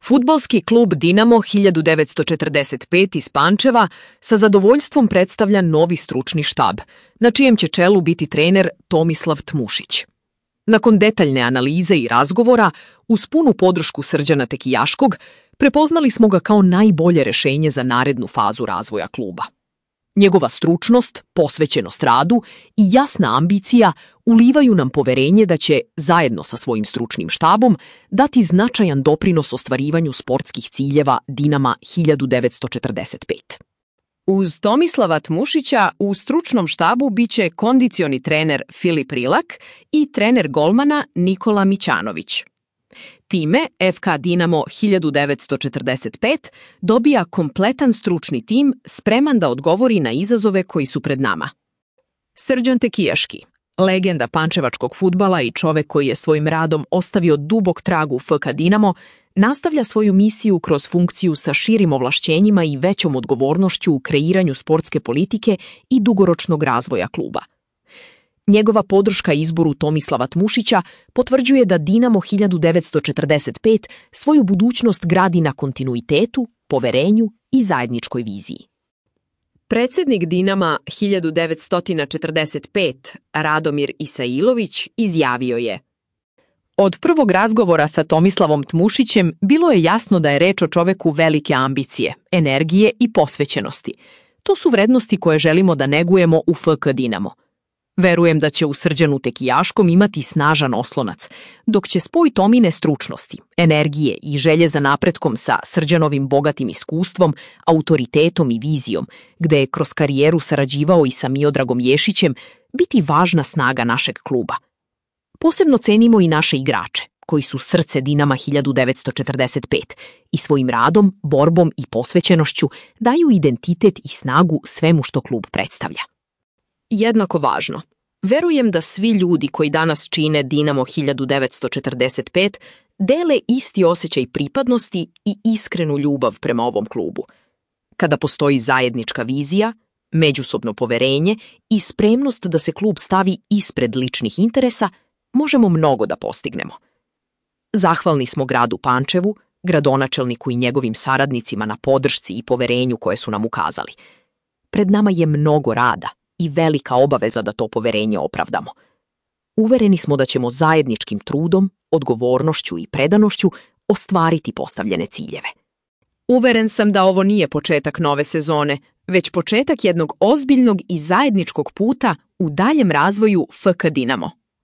Fudbalski klub Dinamo 1945 iz Pančeva sa zadovoljstvom predstavlja novi stručni štab, na čijem će čelu biti trener Tomislav Tmušić. Nakon detaljne analize i razgovora, uz punu podršku Srđana Tekijaškog, prepoznali smo ga kao najbolje rešenje za narednu fazu razvoja kluba. Njegova stručnost, posvećenost radu i jasna ambicija ulivaju nam poverenje da će, zajedno sa svojim stručnim štabom, dati značajan doprinos ostvarivanju sportskih ciljeva Dinama 1945. Uz Tomislava Tmušića u stručnom štabu biće kondicioni trener Filip Rilak i trener golmana Nikola Mićanović. Time FK Dinamo 1945 dobija kompletan stručni tim spreman da odgovori na izazove koji su pred nama. Srđan Tekijaški, legenda pančevačkog fudbala i čovek koji je svojim radom ostavio dubok trag u FK Dinamo, nastavlja svoju misiju kroz funkciju sa širim ovlašćenjima i većom odgovornošću u kreiranju sportske politike i dugoročnog razvoja kluba. Njegova podrška izboru Tomislava Tmušića potvrđuje da Dinamo 1945 svoju budućnost gradi na kontinuitetu, poverenju i zajedničkoj viziji. Predsednik Dinama 1945, Radomir Isailović, izjavio je: Od prvog razgovora sa Tomislavom Tmušićem bilo je jasno da je reč o čoveku velike ambicije, energije i posvećenosti. To su vrednosti koje želimo da negujemo u FK Dinamo. Verujem da će u Srđanu Tekijaškom imati snažan oslonac, dok će spoj Tomine stručnosti, energije i želje za napretkom sa Srđanovim bogatim iskustvom, autoritetom i vizijom, gde je kroz karijeru sarađivao i sa Miodragom Ješićem, biti važna snaga našeg kluba. Posebno cenimo i naše igrače, koji su srce Dinama 1945 i svojim radom, borbom i posvećenošću daju identitet i snagu svemu što klub predstavlja. Jednako važno, verujem da svi ljudi koji danas čine Dinamo 1945 dele isti osjećaj pripadnosti i iskrenu ljubav prema ovom klubu. Kada postoji zajednička vizija, međusobno poverenje i spremnost da se klub stavi ispred ličnih interesa, možemo mnogo da postignemo. Zahvalni smo gradu Pančevu, gradonačelniku i njegovim saradnicima na podršci i poverenju koje su nam ukazali. Pred nama je mnogo rada i velika obaveza da to poverenje opravdamo. Uvereni smo da ćemo zajedničkim trudom, odgovornošću i predanošću ostvariti postavljene ciljeve. Uveren sam da ovo nije početak nove sezone, već početak jednog ozbiljnog i zajedničkog puta u daljem razvoju FK Dinamo.